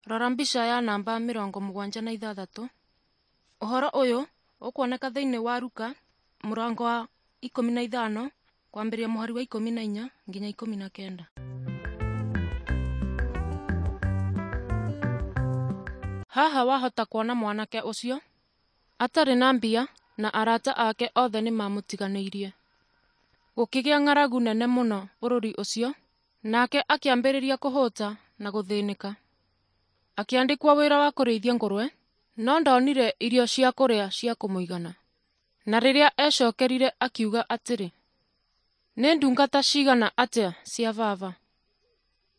Rora mbica ya namba 76. Ũhoro ũyũ ũkuoneka thĩinĩ wa Luka mũrango wa 15 kwambĩrĩria mũhari wa 14 nginya 19. Haha wahota kuona mwanake ũcio atarĩ na mbia na arata ake othe nĩmamũtiganĩirie. Gũkĩgĩa ng'aragu nene mũno bũrũri ũcio, nake akĩambĩrĩria kũhũta na gũthĩnĩka. Akĩandĩkwo wĩra wa kũrĩithia ngũrwe, no ndonire irio cia kũrĩa cia kũmũigana. Na rĩrĩa ecokerire akiuga atĩrĩ, nĩ ndungata cigana atĩa cia baba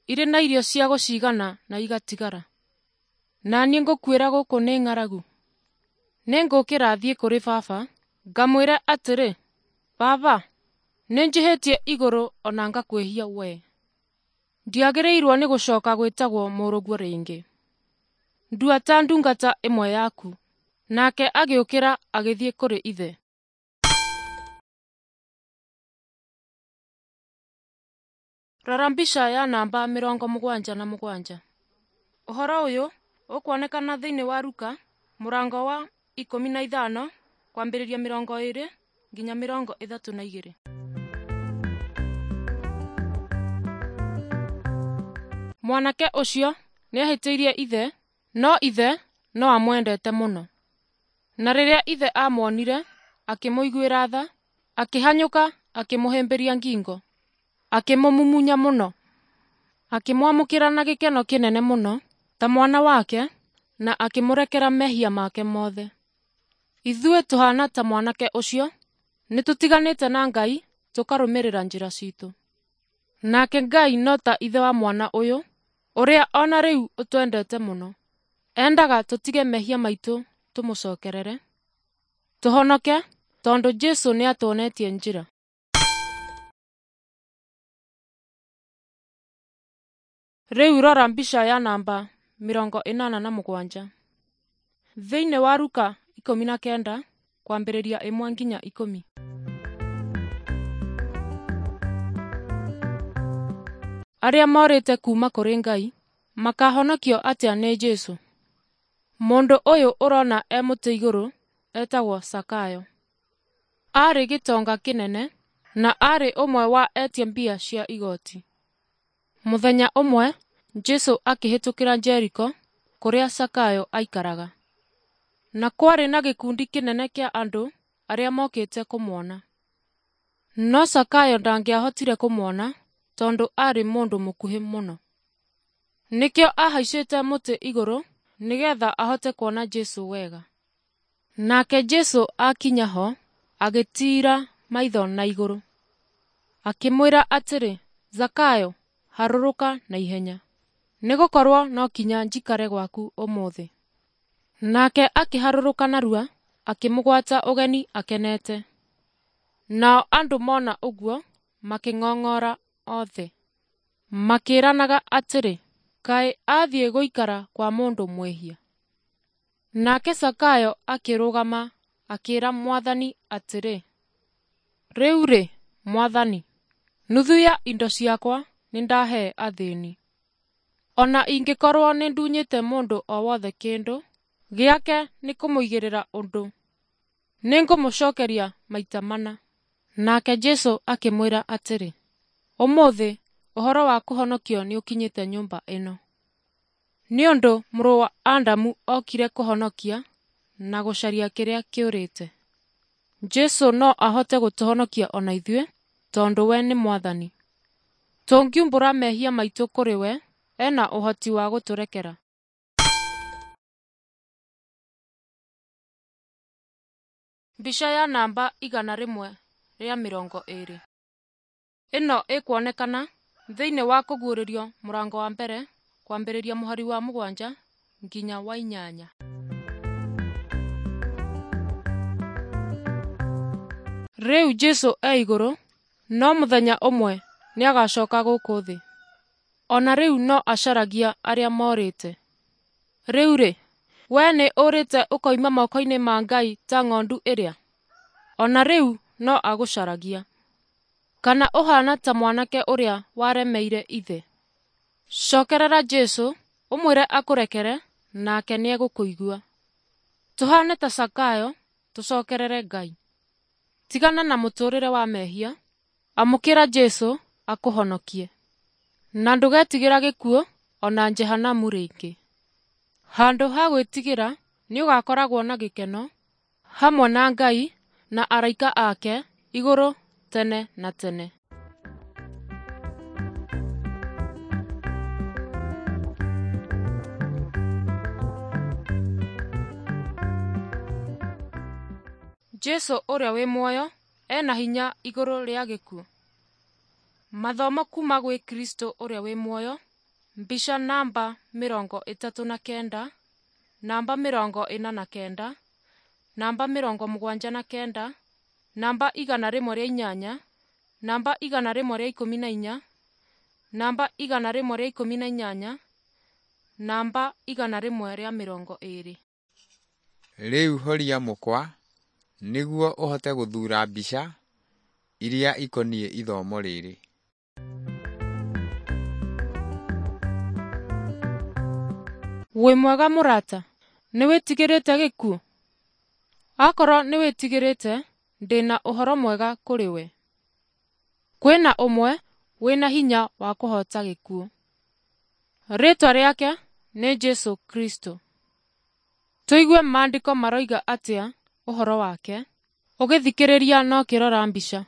irĩ na irio cia gũcigana na igatigara, na niĩ ngũkuĩra gũkũ nĩ ng'aragu. Nĩngũkĩra thiĩ kũrĩ baba, ngamwĩre atĩrĩ, Baba, nĩnjĩhĩtie igũrũ o na ngakwĩhia wee. Ndiagĩrĩirwo nĩ gũcoka gwĩtagwo mũrũguo rĩngĩ. Ndua ta ndungata ĩmwe yaku. Nake agĩũkĩra agĩthiĩ kũrĩ ithe. Rora mbica ya namba 77. Ũhoro ũyũ ũkuonekana thĩinĩ wa Luka mũrango wa 15 kwambĩrĩria 20 nginya 32. Mwanake ũcio nĩahĩtĩirie ithe, no ithe no amwendete mũno. Na rĩrĩa ithe aamuonire, akĩmũiguĩra tha, akĩhanyũka akĩmũhĩmbĩria ngingo, akĩmũmumunya mũno. Akĩmwamũkĩra na gĩkeno kĩnene mũno ta mwana wake, na akĩmũrekera mehia make mothe. Ithuĩ tũhaana ta mwanake ũcio, nĩtũtiganĩte na Ngai tũkarũmĩrĩra njĩra ciitũ. Nake Ngai no ta ithe wa mwana ũyũ, ũrĩa o na rĩu ũtwendete mũno. Endaga tũtige mehia maitũ tũmũcokerere, tũhonoke tondũ Jesũ nĩatuonetie njĩra. Rĩu rora mbica ya namba 87. Thĩinĩ wa Luka 19 kwambĩrĩria 1 nginya 10. Arĩa morĩte kuuma kũrĩ Ngai makahonokio atĩa nĩ Jesũ? Mũndũ ũyũ ũrona e mũtĩ igũrũ etagwo Zakayo. Aarĩ gĩtonga kĩnene na aarĩ ũmwe wa etia mbia cia igoti. Mũthenya ũmwe Jesũ akĩhĩtũkĩra Jeriko kũrĩa Zakayo aikaraga. Na kwarĩ na gĩkundi kĩnene kĩa andũ arĩa mokĩte kũmuona. No Zakayo ndangĩahotire kũmuona tondũ aarĩ mũndũ mũkuhĩ mũno. Nĩkĩo ahaicĩte mũtĩ igũrũ nĩgetha ahote kuona Jesũ wega. Nake Jesũ akinya ho agĩtiira maitho na igũrũ, akĩmwĩra atĩrĩ, Zakayo, harũrũka na ihenya, nĩgũkorwo no kinya njikare gwaku ũmũthĩ. Nake akĩharũrũka narua akĩmũgwata ũgeni akenete. Nao andũ mona ũguo makĩng'ong'ora othe, makĩĩranaga atĩrĩ, kaĩ athiĩ gũikara kwa mũndũ mwĩhia. Nake Zakayo akĩrũgama akĩĩra Mwathani atĩrĩ, rĩu-rĩ, Mwathani, nuthu ya indo ciakwa nĩndahee athĩni. O na ingĩkorwo nĩndunyĩte mũndũ o wothe kĩndũ gĩake nĩkũmũigĩrĩra ũndũ, nĩngũmũcookeria maita mana. Nake Jesũ akĩmwĩra atĩrĩ, ũmũthĩ ũhoro wa kũhonokio nĩũkinyĩte nyũmba ĩno, nĩ ũndũ mũrũ wa Adamu okire kũhonokia na gũcaria kĩrĩa kĩũrĩte. Jesũ no ahote gũtũhonokia o na ithuĩ tondũ we nĩ Mwathani. Tũngiumbũra mehia maitũ kũrĩ we, ena ũhoti wa gũtũrekera. Mbica ya namba 120. Ĩno ĩkuonekana thĩinĩ wa Kũguũrĩrio mũrango wa mbere kwambĩrĩria mũhari wa 7 nginya wa 8. Rĩu Jesũ e igũrũ, no mũthenya ũmwe nĩagacoka gũkũ thĩ. O na rĩu no acaragia arĩa morĩte. Rĩu-rĩ, we nĩ ũrĩte ũkoima moko-inĩ ma Ngai ta ng'ondu ĩrĩa? O na rĩu no agũcaragia. Kana ũhaana ta mwanake ũrĩa waremeire ithe? Cokerera Jesũ Ũmwĩre akũrekere nake nĩegũkũigua. Tũhane ta Zakayo, tũcokerere Ngai. Tigana na mũtũrĩre wa mehia, amũkĩra Jesũ akũhonokie. Na ndũgetigĩra gĩkuũ ona Jehanamu rĩngĩ. Handũ ha gwĩtigĩra nĩũgakoragwo na gĩkeno hamwe na Ngai na araika ake igũrũ tene na tene. Jesũ ũrĩa wĩ muoyo ena hinya igũrũ rĩa gĩkuũ. Mathomo kuma gwĩ Kristo ũrĩa wĩ muoyo, mbica namba 39, namba 49, namba 79, namba 108, namba 114, namba 118, namba 120. Rĩu horia mũkwa nĩguo ũhote gũthuura mbica iria ikoniĩ ithomo rĩrĩ. Wĩ mwega mũrata, nĩwĩtigĩrĩte gĩkuũ? Akorwo nĩwĩtigĩrĩte, ndĩna ũhoro mwega kũrĩ we. Kwĩna ũmwe wĩna hinya wa kũhota gĩkuũ. Rĩtwa rĩake nĩ Jesũ Kristo. Tũigue maandĩko maroiga atĩa ũhoro wake, ũgĩthikĩrĩria na ũkĩrora mbica.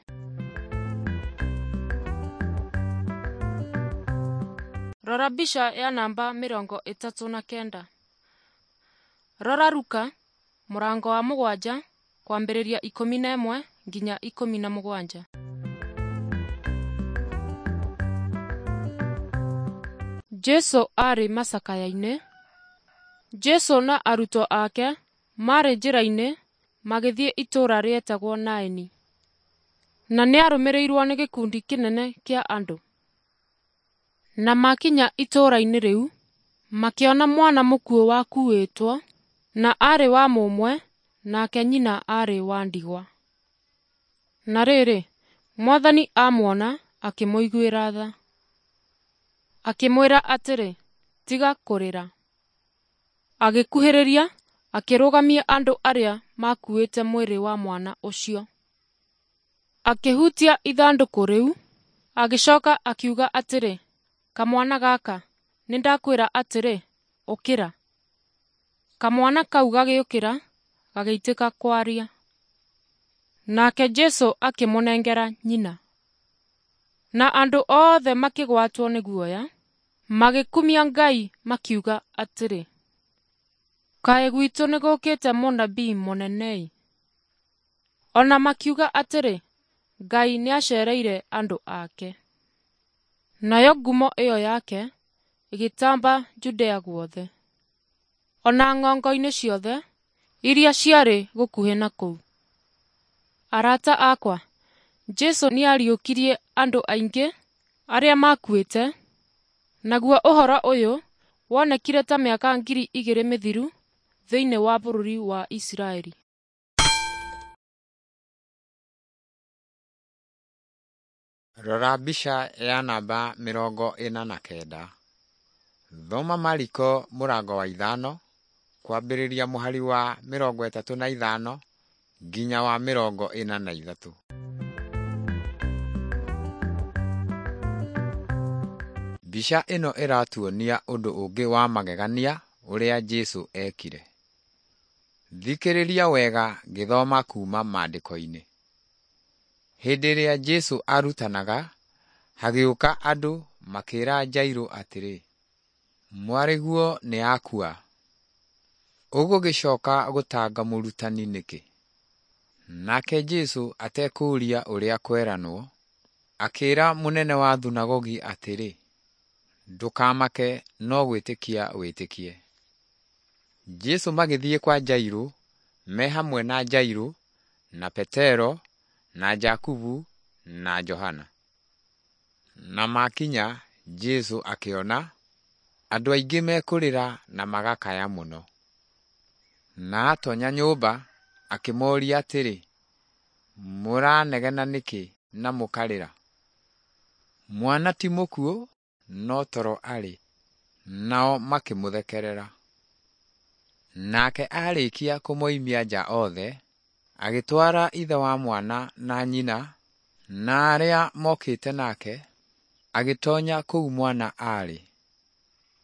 Rora mbica ya namba 39. Rora Luka mũrango wa 7 kwambĩrĩria 11 nginya 17. Jesũ aarĩ macakaya-inĩ. Jesũ na arutwo ake maarĩ njĩra-inĩ magĩthiĩ itũũra rĩetagwo Naini, na nĩarũmĩrĩirwo nĩ gĩkundi kĩnene kĩa andũ. Na makinya itũũra-inĩ rĩu, makĩona mwana mũkuũ wakuĩtwo, na aarĩ wa mũmwe, nake nyina aarĩ wa ndigwa. Na rĩrĩ, Mwathani amuona akĩmũiguĩra tha, akĩmwĩra atĩrĩ, tiga kũrĩra. Agĩkuhĩrĩria, akĩrũgamia andũ arĩa makuĩte mwĩrĩ wa mwana ũcio. Akĩhutia ithandũkũ rĩu, agĩcoka akiuga atĩrĩ, kamwana gaka, nĩndakwĩra atĩrĩ, ũkĩra. Kamwana kau gagĩũkĩra, gagĩitĩka kwaria. Nake Jesũ akĩmũnengera nyina. Na andũ othe makĩgwatwo nĩ guoya, magĩkumia Ngai makiuga atĩrĩ, kaĩ gwitũ nĩgũkĩte mũnabii mũnene-ĩ. Ona makiuga atĩrĩ, Ngai nĩacereire andũ ake. Nayo ngumo ĩyo yake ĩgĩtamba Judea guothe, ona ng'ongo-inĩ ciothe iria ciarĩ gũkuhĩ na kũu. Arata akwa, Jesũ nĩariũkirie andũ aingĩ arĩa makuĩte, naguo ũhoro ũyũ wonekire ta mĩaka 2000 mĩthiru thĩinĩ wa bũrũri wa Isiraeli. Rora mbica ya namba 49. Thoma Mariko mũrango wa 5 kwambĩrĩria mũhari wa 35 nginya wa 43. Mbica ĩno ĩratuonia ũndũ ũngĩ wa magegania ũrĩa Jesũ ekire. Thikĩrĩria wega ngĩthoma kuuma maandĩko-inĩ. Hĩndĩ ĩrĩa Jesũ arutanaga, hagĩũka andũ makĩĩra Jairũ atĩrĩ, mwarĩguo nĩakua, ũgũgĩcoka gũtanga mũrutani nĩkĩ? Nake Jesũ atekũũria ũrĩa kweranwo, akĩĩra mũnene wa thunagogi atĩrĩ, ndũkamake no gwĩtĩkia wĩtĩkie. Jesũ magĩthiĩ kwa Jairũ me hamwe na Jairũ na Petero na Jakubu na Johana. Na makinya Jesũ akĩona andũ aingĩ mekũrĩra na magakaya mũno. Na atonya nyũmba akĩmoria atĩrĩ, mũranegena nĩkĩ na mũkarĩra? Mwana ti mũkuũ no toro arĩ. Nao makĩmũthekerera. Nake aarĩkia kũmoimia nja othe, agĩtwara ithe wa mwana na nyina na arĩa mokĩte nake, agĩtonya kũu mwana aarĩ.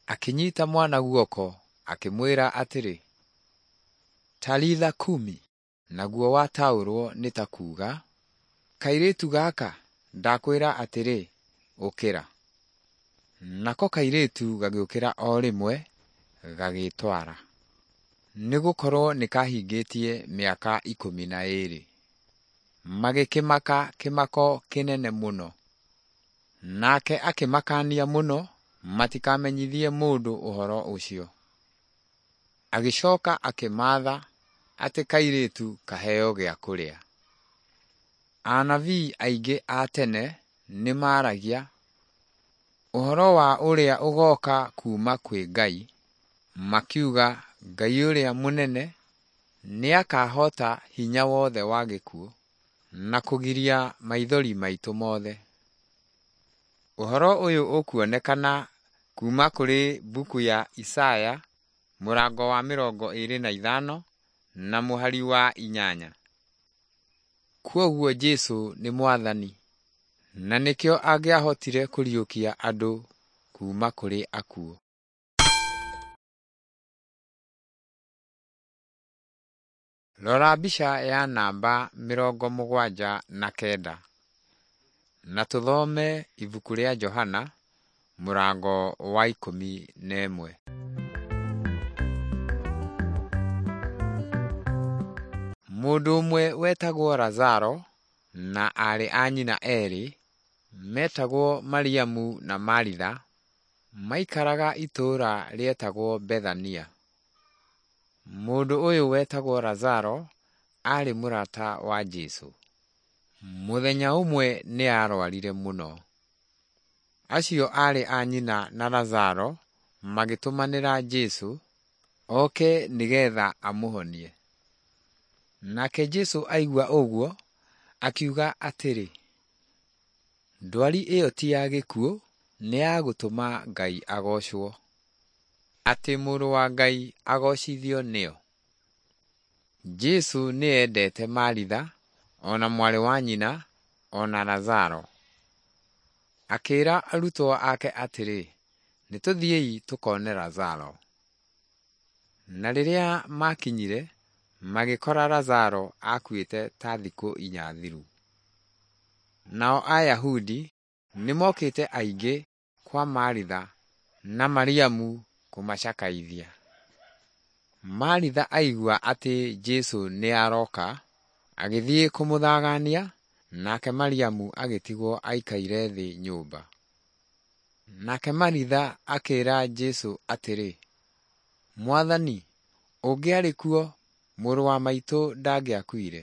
Akĩnyita mwana guoko, akĩmwĩra atĩrĩ, Talitha kumi, naguo wataũrwo nĩ ta kuuga, Kairĩtu gaka, ndakwĩra atĩrĩ, ũkĩra. Nako kairĩtu gagĩũkĩra o rĩmwe, gagĩĩtwara, nĩgũkorwo nĩkahingĩtie mĩaka 12. Magĩkĩmaka kĩmako kĩnene mũno. Nake akĩmakaania mũno matikamenyithie mũndũ ũhoro ũcio. Agĩcoka akĩmaatha atĩ kairĩtu kaheo gĩa kũrĩa. Anabii aingĩ a tene nĩmaragia ũhoro wa ũrĩa ũgooka kuuma kwĩ Ngai, makiuga Ngai ũrĩa mũnene nĩakahoota hinya wothe wa gĩkuũ na kũgiria maithori maitũ mothe. Ũhoro ũyũ ũkuonekana kuuma kũrĩ mbuku ya Isaya mũrango wa 25 na mũhari wa 8. Kwoguo Jesũ nĩ Mwathani na nĩkĩo angĩahotire kũriũkia andũ kuuma kũrĩ akuũ. Rora mbica ya namba 79 na tũthome ibuku rĩa Johana mũrango wa 11. Mũndũ ũmwe wetagwo Lazaro na aarĩ a nyina erĩ metagwo Mariamu na Maritha maikaraga itũũra rĩetagwo Bethania. Mũndũ ũyũ wetagwo Lazaro aarĩ mũrata wa Jesũ. Mũthenya ũmwe nĩ aarwarire mũno. Acio aarĩ a nyina na Lazaro magĩtũmanĩra Jesũ oke nĩgetha amũhonie. Nake Jesũ aigua ũguo akiuga atĩrĩ, ndwari ĩyo ti ya gĩkuũ, nĩ ya gũtũma Ngai agoocwo, atĩ Mũrũ wa Ngai agoocithio nĩyo. Jesũ nĩ endete Maritha o na mwarĩ wa nyina o na Lazaro. Akĩĩra arutwo ake atĩrĩ, nĩtũthiĩi tũkone Lazaro. Na rĩrĩa maakinyire, magĩkora Lazaro akuĩte ta thikũ 4 thiru. Nao Ayahudi nĩmokĩte aingĩ kwa Maritha na Mariamu kũmacakaithia. Maritha aigua atĩ Jesũ nĩaroka, agĩthiĩ kũmũthagania, nake Mariamu agĩtigwo aikaire thĩ nyũmba. Nake Maritha akĩĩra Jesũ atĩrĩ, Mwathani, ũngĩarĩ kuo, mũrũ wa maitũ ndangĩakuire.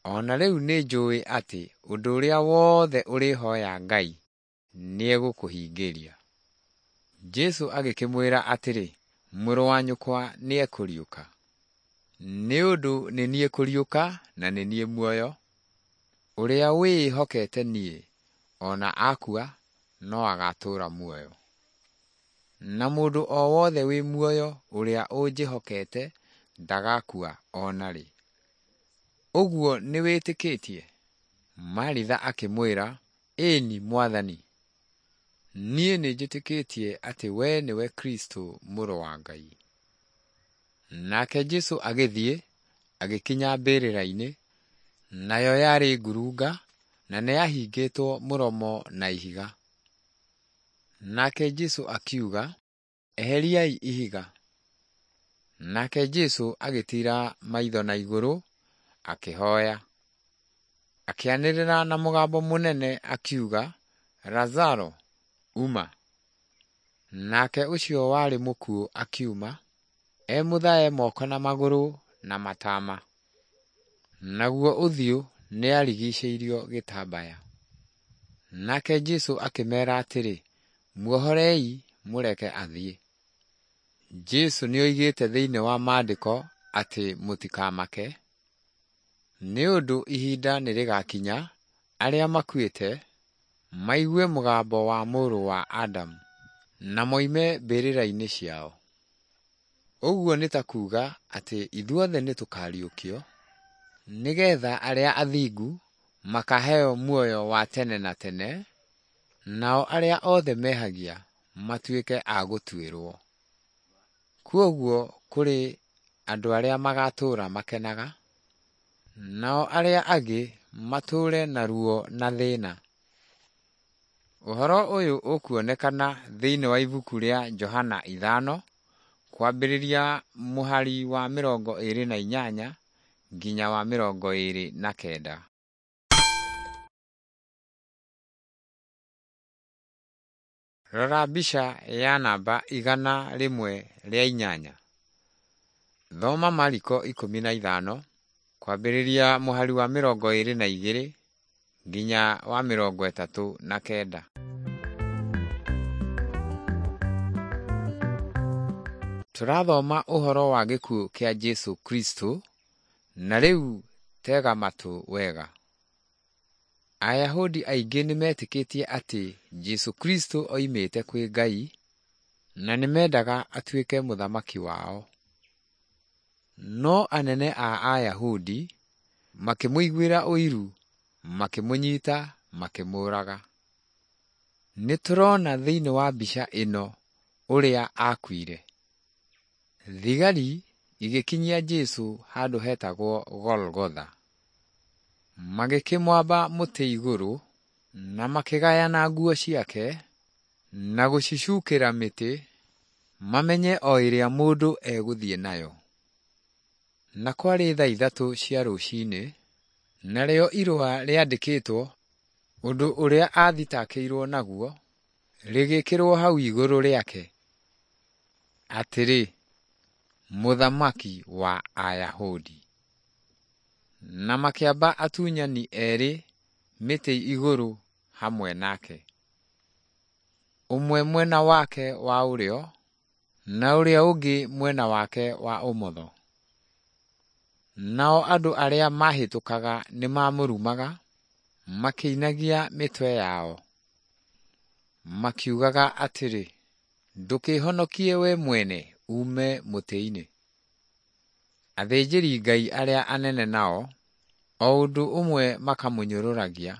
O na rĩu nĩnjũũĩ atĩ ũndũ ũrĩa wothe ũrĩhooya Ngai nĩegũkũhingĩria. Jesũ agĩkĩmwĩra atĩrĩ, mũrũ wa nyũkwa nĩekũriũka. Nĩ ũndũ nĩ niĩ kũriũka na nĩ niĩ muoyo. Ũrĩa wĩĩhokete niĩ, o na akua, no agatũũra muoyo. Na mũndũ o wothe wĩ muoyo ũrĩa ũnjĩhokete ndagakua o na rĩ. Ũguo nĩwĩtĩkĩtie? Maritha akĩmwĩra, ĩni Mwathani, niĩ nĩnjĩtĩkĩtie atĩ we nĩwe Kristũ mũrũ wa Ngai. Nake Jesũ agĩthiĩ, agĩkinya mbĩrĩra-inĩ, nayo yarĩ ngurunga na nĩyahingĩtwo mũromo na ihiga. Nake Jesũ akiuga, eheriai ihiga. Nake Jesũ agĩtiira maitho na igũrũ, akĩhooya. Akĩanĩrĩra na mũgambo mũnene akiuga, Lazaro, uma. Nake ũcio warĩ mũkuũ akiuma, e mũthae moko na magũrũ na matama, naguo ũthiũ nĩarigiicĩirio gĩtambaya. Nake Jesũ akĩmeera atĩrĩ, muohorei mũreke athiĩ. Jesũ nĩoigĩte thĩinĩ wa Maandĩko atĩ mũtikamake, nĩ ũndũ ihinda nĩrĩgakinya arĩa makuĩte maigue mũgambo wa Mũrũ wa Adamu, na moime mbĩrĩra-inĩ ciao. Ũguo nĩ ta kuuga atĩ ithuothe nĩ tũkariũkio, nĩgetha arĩa athingu makaheo muoyo wa tene na tene, nao arĩa othe mehagia matuĩke a gũtuĩrwo. Kwoguo kũrĩ andũ arĩa magatũũra makenaga, nao arĩa angĩ matũũre na ruo na thĩna. Ũhoro ũyũ ũkuonekana thĩinĩ wa ibuku rĩa Johana 5 kwambĩrĩria mũhari wa 28 nginya wa 29. Rora mbica ya namba 108. Thoma Mariko 15 kwambĩrĩria mũhari wa 22 nginya wa 39. Tũrathoma ũhoro wa gĩkuũ kĩa Jesũ Kristo, na rĩu tega matũ wega. Ayahudi aingĩ nĩmetĩkĩtie atĩ Jesũ Kristo oimĩte kwĩ Ngai na nĩmendaga atuĩke mũthamaki wao. No anene a Ayahudi makĩmũiguĩra ũiru, makĩmũnyita, makĩmũũraga. Nĩtũrona thĩinĩ wa mbica ĩno ũrĩa akuire. Thigari igĩkinyia Jesũ handũ hetagwo Golgotha. Magĩkĩmwamba mũtĩ igũrũ na makĩgayana nguo ciake na gũcicukĩra mĩtĩ mamenye o ĩrĩa mũndũ egũthiĩ nayo. Na kwarĩ thaa 3 cia rũcinĩ, narĩo irũa rĩandĩkĩtwo ũndũ ũrĩa athitakĩirwo naguo rĩgĩkĩrwo hau igũrũ rĩake, atĩrĩ, Mũthamaki wa Ayahudi. Na makĩamba atunyani erĩ mĩtĩ igũrũ hamwe nake, ũmwe mwena wake wa ũrĩo na ũrĩa ũngĩ mwena wake wa ũmotho. Nao andũ arĩa maahĩtũkaga nĩmamũrumaga, makĩinagia mĩtwe yao, makiugaga atĩrĩ, Ndũkĩĩhonokie we mwene uume mũtĩ-inĩ. Athĩnjĩri-Ngai arĩa anene nao o ũndũ ũmwe makamũnyũrũragia,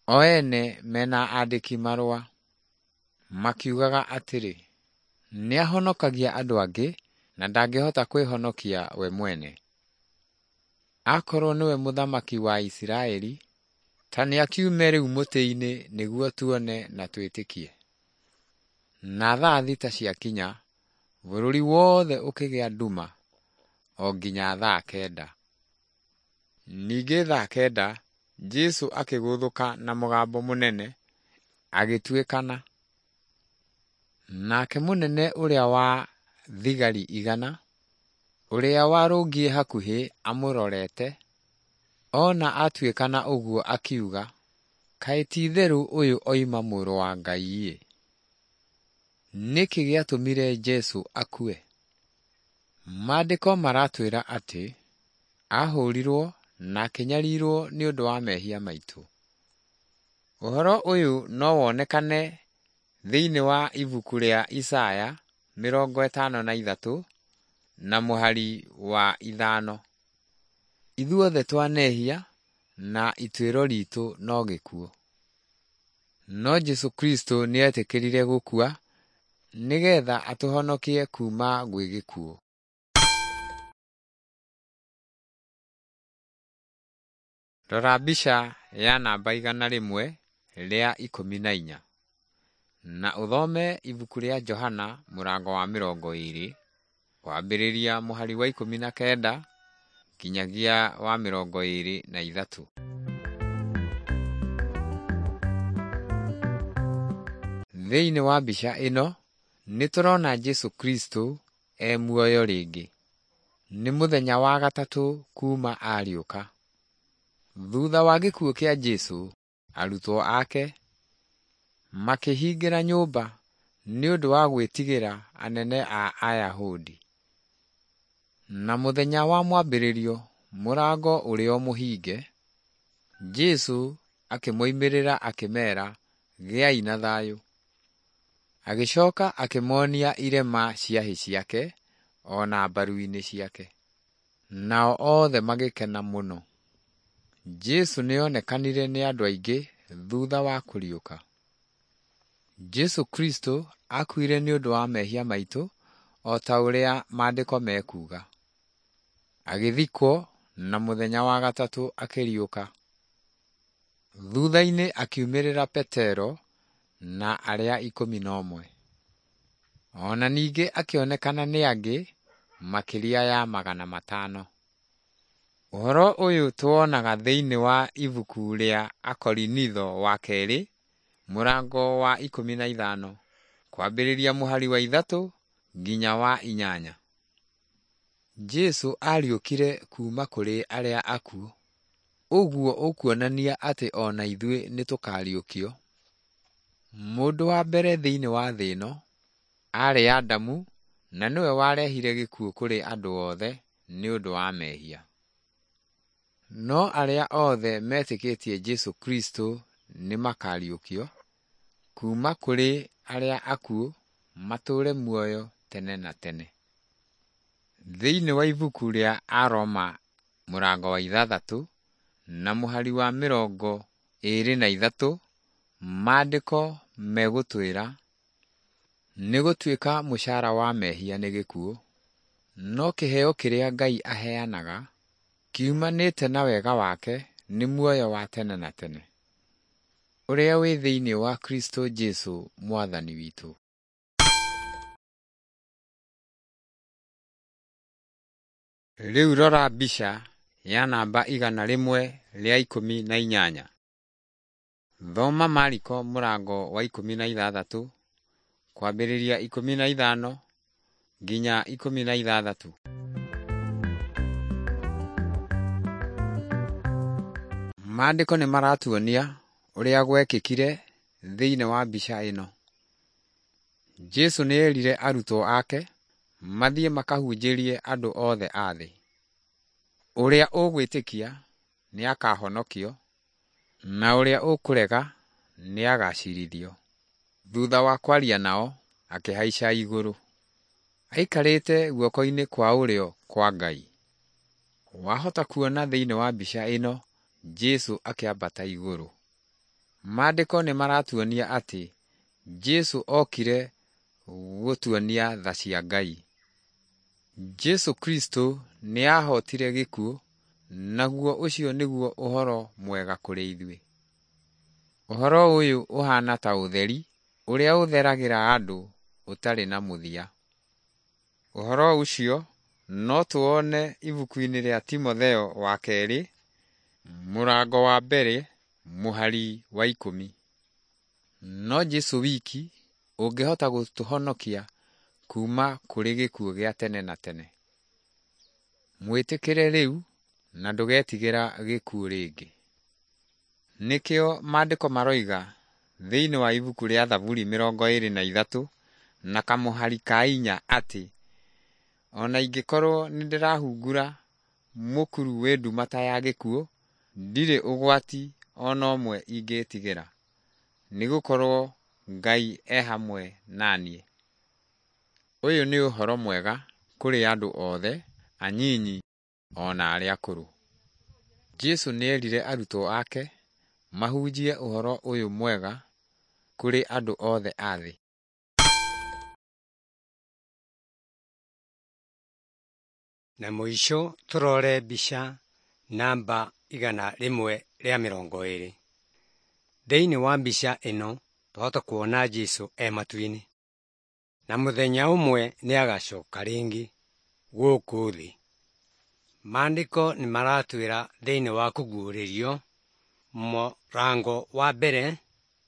o ene mena andĩki marũa, makiugaga atĩrĩ, Nĩahonokagia andũ angĩ na ndangĩhota kwĩhonokia we mwene. Akorwo nĩwe mũthamaki wa Isiraeli, ta nĩakiume rĩu mũtĩ-inĩ nĩguo tuone na twĩtĩkie. Na thaa 6 ciakinya, bũrũri wothe ũkĩgĩa nduma o nginya thaa 9. Ningĩ thaa 9 Jesũ akĩgũthũka na mũgambo mũnene agĩtuĩkana. Nake mũnene ũrĩa wa thigari 100, ũrĩa warũngiĩ hakuhĩ amũrorete, ona atuĩkana ũguo akiuga, Kaĩ ti-itherũ ũyũ oima mũrũ wa Ngai-ĩ! Nĩkĩ gĩatũmire Jesũ akue? Maandĩko maratwĩra atĩ ahũrirwo na akĩnyarirwo nĩ ũndũ wa mehia maitũ. Ũhoro ũyũ no wonekane thĩinĩ wa ibuku rĩa Isaya 53 na mũhari wa 5. Ithuothe twanehia na ituĩro ritũ no gĩkuũ. No Jesũ Kristo nĩetĩkĩrire gũkua nĩgetha atũhonokie kuuma gwĩ gĩkuũ. Rora mbica ya namba 114 na ũthome ibuku rĩa Johana mũrango wa 20 kwambĩrĩria mũhari wa 19 nginyagia wa 23. Thĩinĩ wa mbica ĩno nĩtũrona Jesũ Kristo e muoyo rĩngĩ. Nĩ mũthenya wa gatatũ kuuma ariũka. Thutha wa gĩkuũ kĩa Jesũ, arutwo ake makĩhingĩra nyũmba nĩ ũndũ wa gwĩtigĩra anene a Ayahudi. Na mũthenya wa mwambĩrĩrio mũrango ũrĩ o mũhinge, Jesũ akĩmoimĩrĩra akĩmeera, Gĩai na thayũ. Agĩcoka akĩmonia irema cia hĩ ciake o na mbaru-inĩ ciake. Nao othe magĩkena mũno. Jesũ nĩonekanire nĩ andũ aingĩ thutha wa kũriũka. Jesũ Kristo akuire nĩ ũndũ wa mehia maitũ o ta ũrĩa maandĩko mekuuga. Agĩthikwo na mũthenya wa gatatũ akĩriũka. Thutha-inĩ akiumĩrĩra Petero na arĩa 11. O na ningĩ akĩonekana nĩ angĩ makĩria ya 500. Ũhoro ũyũ tũwonaga thĩinĩ wa ibuku rĩa Akorinitho wa kerĩ mũrango wa 15 kwambĩrĩria mũhari wa 3 nginya wa 8. Jesũ ariũkire kuuma kũrĩ arĩa akuũ. Ũguo ũkuonania atĩ o na ithuĩ nĩtũkariũkio. Mũndũ wa mbere thĩinĩ wa thĩ ĩno aarĩ Adamu na nĩwe warehire gĩkuũ kũrĩ andũ othe nĩ ũndũ wa mehia. No arĩa othe metĩkĩtie Jesũ Kristo nĩmakariũkio kuuma kũrĩ arĩa akuũ matũũre muoyo tene na tene. Thĩinĩ wa ibuku rĩa Aroma mũrango wa 6 na mũhari wa 23 maandĩko megũtwĩra, nĩgũtuĩka mũcara wa mehia nĩ gĩkuũ, no kĩheo kĩrĩa Ngai aheanaga kiumanĩte na wega wake nĩ muoyo wa tene na tene, ũrĩa wĩ thĩinĩ wa Kristo Jesũ Mwathani witũ. Rĩu rora mbica ya namba 118. Thoma Mariko mũrango wa 16 kwambĩrĩria 15 nginya 16. Maandĩko nĩ maratuonia ũrĩa gwekĩkire thĩinĩ wa mbica ĩno. Jesũ nĩerire arutwo ake mathiĩ makahunjĩrie andũ othe a thĩ. Ũrĩa ũgwĩtĩkia nĩakahonokio na ũrĩa ũkũrega nĩagacirithio. Thutha wa kwaria nao akĩhaica igũrũ. Aikarĩte guoko-inĩ kwa ũrĩo kwa Ngai. Wahota kuona thĩinĩ wa mbica ĩno Jesũ akĩambata igũrũ. Maandĩko nĩ maratuonia atĩ Jesũ okire gũtuonia tha cia Ngai. Jesũ Kristo nĩahotire gĩkuũ, naguo ũcio nĩguo ũhoro mwega kũrĩ ithuĩ. Ũhoro ũyũ ũhaana ta ũtheri ũrĩa ũtheragĩra andũ ũtarĩ na mũthia. Ũhoro ũcio no tũwone ibuku-inĩ rĩa Timotheo wa kerĩ mũrango wa 1 mũhari wa 10. No Jesũ wiki ũngĩhota gũtũhonokia kuuma kũrĩ gĩkuũ gĩa tene na tene. Mwĩtĩkĩre rĩu na ndũgetigĩra gĩkuũ rĩngĩ. Nĩkĩo maandĩko maroiga thĩinĩ wa ibuku rĩa Thaburi 23 na kamũhari ka 4 atĩ, ona ingĩkorwo nĩndĩrahungura mũkuru wĩ nduma ta ya gĩkuũ, ndirĩ ũgwati o na ũmwe ingĩtigĩra, nĩgũkorwo Ngai e hamwe na niĩ. Ũyũ nĩ ũhoro mwega kũrĩ andũ othe, anyinyi o na arĩa akũrũ. Jesũ nĩerire arutwo ake mahunjie ũhoro ũyũ mwega kũrĩ andũ othe a thĩ. Na mũico tũrore mbica namba 120. Thĩinĩ wa mbica ĩno twahota kuona Jesũ e matu-inĩ, na mũthenya ũmwe nĩagacoka rĩngĩ gũkũ thĩ. Maandĩko nĩmaratwĩra thĩinĩ wa kũguũrĩrio mũrango wa 1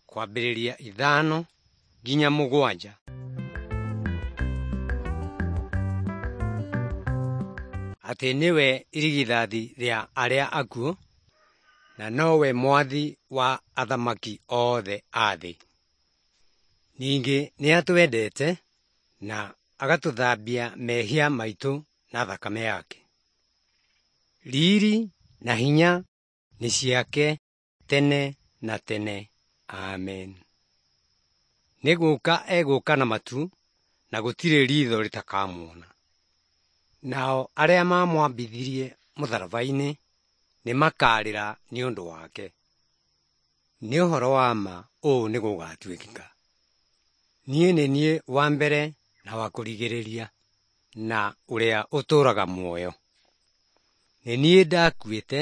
kwambĩrĩria 5 nginya 7. Atĩ nĩwe irigithathi rĩa arĩa akuũ na nowe mwathi wa athamaki othe a thĩ. Ningĩ nĩatwendete na agatũthambia mehia maitũ na thakame yake. Riri na hinya nĩ ciake tene na tene. Amen. Nĩ gũka egũka na matu, na gũtirĩ riitho rĩtakamuona. Nao arĩa maamwambithirie mũtharaba-inĩ nĩmakarĩra nĩ ũndũ wake. Nĩ ũhoro wa ma ũũ nĩ gũgatuĩkĩka. Niĩ nĩ niĩ wa mbere na wa kũrigĩrĩria, na ũrĩa ũtũũraga muoyo. Nĩ niĩ ndakuĩte,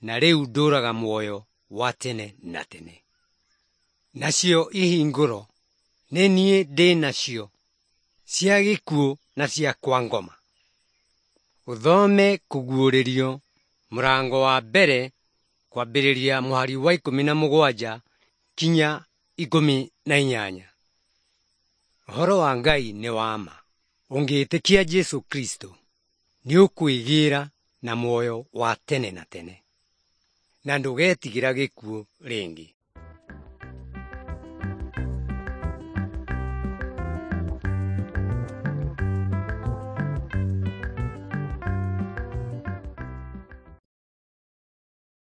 na rĩu ndũũraga muoyo wa tene na tene. Nacio ihingũro nĩ niĩ ndĩ nacio, cia gĩkuũ na cia kwa ngoma. Ũthome Kũguũrĩrio mũrango wa mbere kwambĩrĩria mũhari wa 17 kinya 18. Ũhoro wa Ngai nĩ wa ma. Ũngĩĩtĩkia Jesũ Kristo, nĩũkwĩgĩra na muoyo wa tene na tene, na ndũgetigĩra gĩkuũ rĩngĩ.